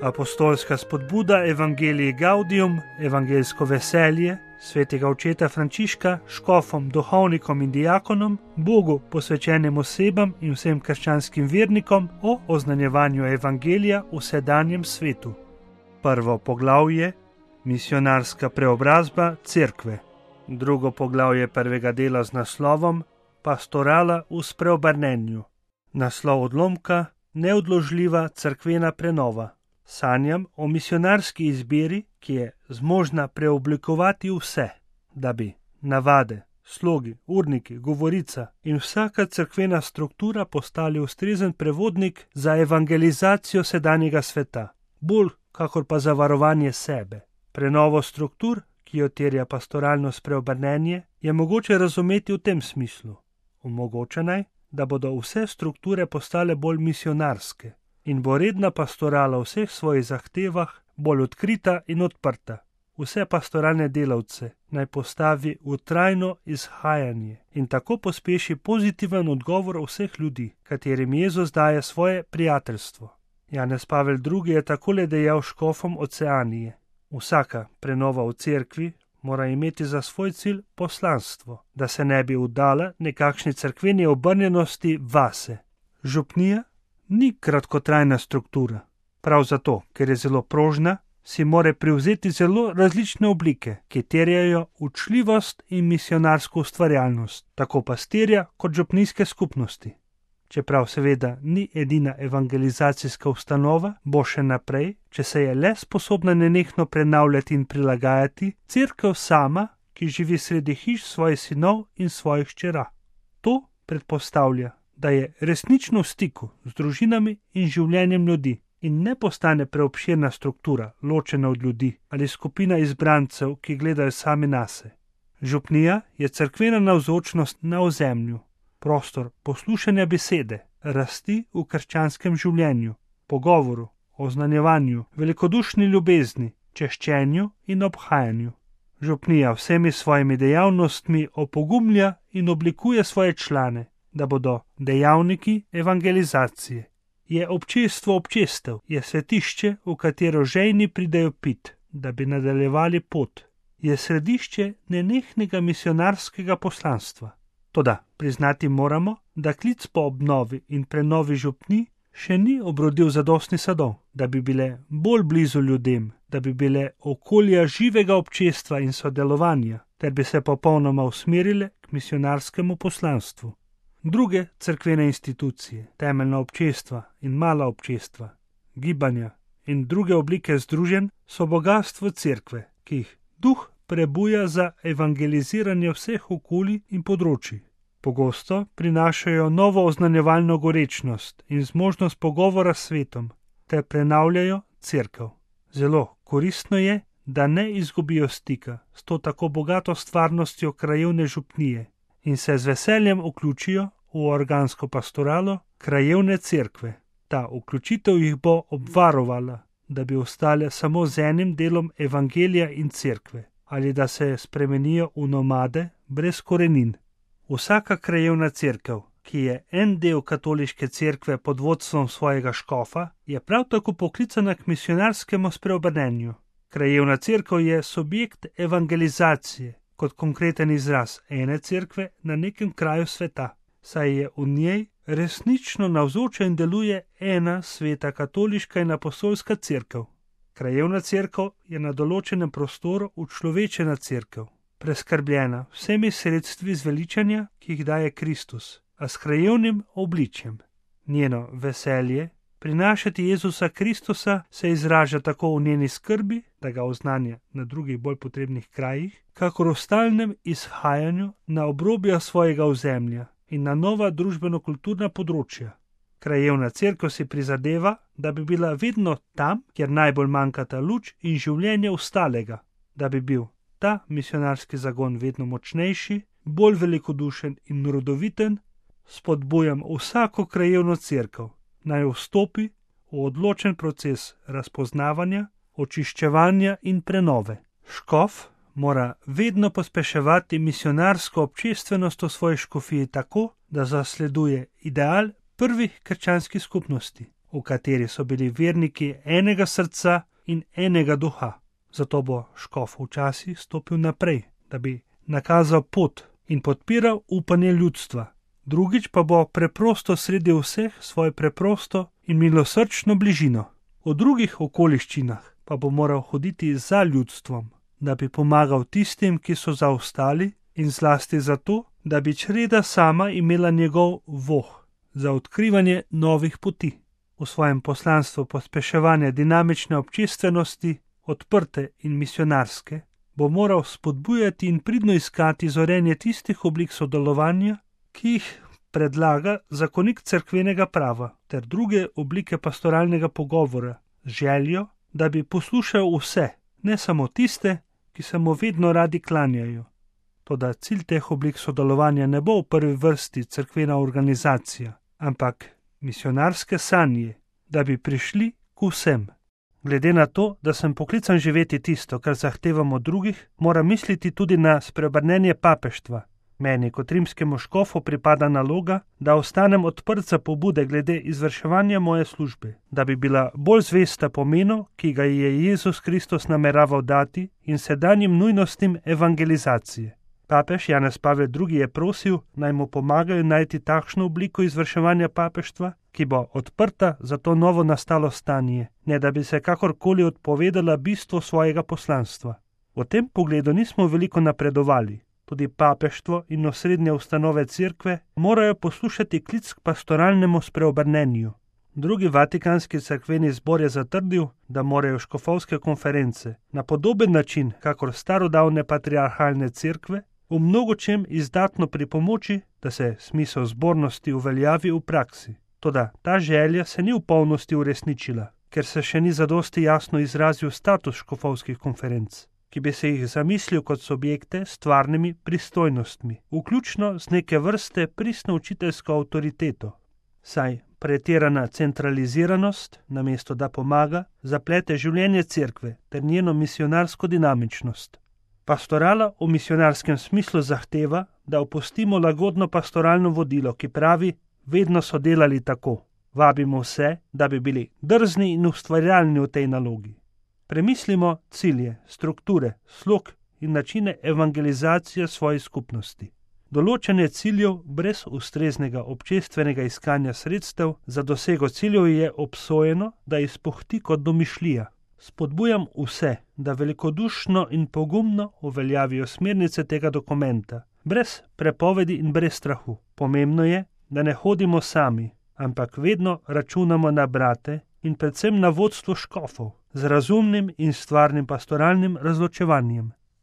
Apostolska spodbuda Evangelii Gaudium, evangeljsko veselje, svetega očeta Frančiška, škofom, duhovnikom in diakonom, Bogu posvečenim osebam in vsem krščanskim vernikom o oznanjevanju evangelija v sedanjem svetu. Prvo poglavje: Misionarska preobrazba cerkve. Drugo poglavje prvega dela z naslovom Pastorala v spreobrnenju. Naslov odlomka: Neodložljiva cerkvena prenova. Sanjam o misionarski izbiri, ki je zmožna preoblikovati vse, da bi navade, slogi, urniki, govorica in vsaka cerkvena struktura postali ustrezen prevodnik za evangelizacijo sedanjega sveta, bolj kakor pa za varovanje sebe. Prenovo struktur, ki jo terja pastoralno spreobrnenje, je mogoče razumeti v tem smislu. Omogoča naj, da bodo vse strukture postale bolj misionarske in bo redna pastorala v vseh svojih zahtevah bolj odkrita in odprta. Vse pastoralne delavce naj postavi v trajno izhajanje in tako pospeši pozitiven odgovor vseh ljudi, katerim Jezus daje svoje prijateljstvo. Janez Pavel II. Je takole dejal škofom Oceanije: Vsaka prenova v cerkvi mora imeti za svoj cilj poslanstvo, da se ne bi vdala nekakšni cerkveni obrnjenosti vase. Župnija ni kratkotrajna struktura. Prav zato, ker je zelo prožna, si mora privzeti zelo različne oblike, ki terjajo učljivost in misionarsko ustvarjalnost, tako pastirja kot župnijske skupnosti. Čeprav seveda ni edina evangelizacijska ustanova, bo še naprej, če se je le sposobna nenehno prenavljati in prilagajati, cerkev sama, ki živi sredi hiš svojih sinov in svojih hčera. To predpostavlja, da je resnično v stiku z družinami in življenjem ljudi in ne postane preobširna struktura, ločena od ljudi ali skupina izbrancev, ki gledajo sami nase. Župnija je cerkvena navzočnost na ozemlju, prostor poslušanja besede, rasti v krščanskem življenju, pogovoru, oznanjevanju, velikodušni ljubezni, češčenju in obhajanju. Župnija vsemi svojimi dejavnostmi opogumlja in oblikuje svoje člane, da bodo dejavniki evangelizacije. Je občestvo občestev, je svetišče, v katero žejni pridejo pit, da bi nadaljevali pot. Je središče nenehnega misionarskega poslanstva. Toda priznati moramo, da klic po obnovi in prenovi župnij še ni obrodil zadostni sadov, da bi bile bolj blizu ljudem, da bi bile okolja živega občestva in sodelovanja, ter bi se popolnoma usmerile k misionarskemu poslanstvu. Druge cerkvene institucije, temeljna občestva in mala občestva, gibanja in druge oblike združenj so bogastvo cerkve, ki jih duh prebuja za evangeliziranje vseh okolij in področij. Pogosto prinašajo novo oznanjevalno gorečnost in zmožnost pogovora s svetom, ter prenavljajo cerkev. Zelo koristno je, da ne izgubijo stika s to tako bogato stvarnostjo krajevne župnije in se z veseljem vključijo v organsko pastoralo krajevne cerkve. Ta vključitev jih bo obvarovala, da bi ostale samo z enim delom evangelija in cerkve, ali da se spremenijo v nomade brez korenin. Vsaka krajevna cerkev, ki je en del katoliške cerkve pod vodstvom svojega škofa, je prav tako poklicana k misionarskemu spreobrnenju. Krajevna cerkev je subjekt evangelizacije, kot konkreten izraz ene cerkve na nekem kraju sveta, saj je v njej resnično navzoča in deluje ena sveta katoliška in apostolska cerkev. Krajevna cerkev je na določenem prostoru učlovečena cerkev, preskrbljena vsemi sredstvi zveličanja, ki jih daje Kristus, a s krajevnim obličjem. Njeno veselje prinašati Jezusa Kristusa se izraža tako v njeni skrbi, da ga oznanja na drugih bolj potrebnih krajih, kakor v stalnem izhajanju na obrobja svojega ozemlja in na nova družbeno-kulturna področja. Krajevna cerkev si prizadeva, da bi bila vedno tam, kjer najbolj manjkata luč in življenje ostalega, da bi bil ta misionarski zagon vedno močnejši, bolj velikodušen in rodoviten. Spodbujam vsako krajevno cerkev, naj vstopi v odločen proces razpoznavanja, očiščevanja in prenove. Škof mora vedno pospeševati misionarsko občestvenost v svoji škofiji tako, da zasleduje ideal prvih krščanskih skupnosti. v kateri so bili verniki enega srca in enega duha. Zato bo škof včasih stopil naprej, da bi nakazal pot in podpiral upanje ljudstva. Drugič pa bo preprosto sredi vseh svojo preprosto in milosrčno bližino. V drugih okoliščinah pa bo moral hoditi za ljudstvom, da bi pomagal tistim, ki so zaostali, in zlasti zato, da bi čreda sama imela njegov voh za odkrivanje novih poti. V svojem poslanstvu pospeševanja dinamične občestvenosti, odprte in misionarske, bo moral spodbujati in pridno iskati zorenje tistih oblik sodelovanja, ki jih predlaga zakonik cerkvenega prava ter druge oblike pastoralnega pogovora z željo, da bi poslušal vse, ne samo tiste, ki se mu vedno radi klanjajo. Toda cilj teh oblik sodelovanja ne bo v prvi vrsti cerkvena organizacija, ampak misionarske sanje, da bi prišli k vsem. Glede na to, da sem poklican živeti tisto, kar zahtevam od drugih, moram misliti tudi na spreobrnenje papeštva. Meni kot rimskemu škofu pripada naloga, da ostanem odprt za pobude glede izvrševanja moje službe, da bi bila bolj zvesta pomenu, ki ga je Jezus Kristus nameraval dati, in sedanjim nujnostim evangelizacije. Papež Janez Pavel II. Je prosil, naj mu pomagajo najti takšno obliko izvrševanja papeštva, ki bo odprta za to novo nastalo stanje, ne da bi se kakorkoli odpovedala bistvu svojega poslanstva. V tem pogledu nismo veliko napredovali. Tudi papeštvo in osrednje ustanove cerkve morajo poslušati klic k pastoralnemu spreobrnenju. Drugi vatikanski cerkveni zbor je zatrdil, da morajo škofovske konference na podoben način, kakor starodavne patriarhalne cerkve, v mnogočem izdatno pripomoči, da se smisel zbornosti uveljavi v praksi. Toda ta želja se ni v polnosti uresničila, ker se še ni zadosti jasno izrazil status škofovskih konferenc, ki bi se jih zamislil kot subjekte s stvarnimi pristojnostmi, vključno z neke vrste pristno učiteljsko avtoriteto. Saj pretirana centraliziranost, namesto da pomaga, zaplete življenje cerkve ter njeno misionarsko dinamičnost. Pastorala v misionarskem smislu zahteva, da opustimo lagodno pastoralno vodilo, ki pravi, vedno so delali tako. Vabimo vse, da bi bili drzni in ustvarjalni v tej nalogi. Premislimo cilje, strukture, slog in načine evangelizacije svoje skupnosti. Določanje ciljev brez ustreznega občestvenega iskanja sredstev za dosego ciljev je obsojeno, da izpuhti kot domišljija. Spodbujam vse, da velikodušno in pogumno uveljavijo smernice tega dokumenta, brez prepovedi in brez strahu. Pomembno je, da ne hodimo sami, ampak vedno računamo na brate in predvsem na vodstvo škofov z razumnim in stvarnim pastoralnim razločevanjem.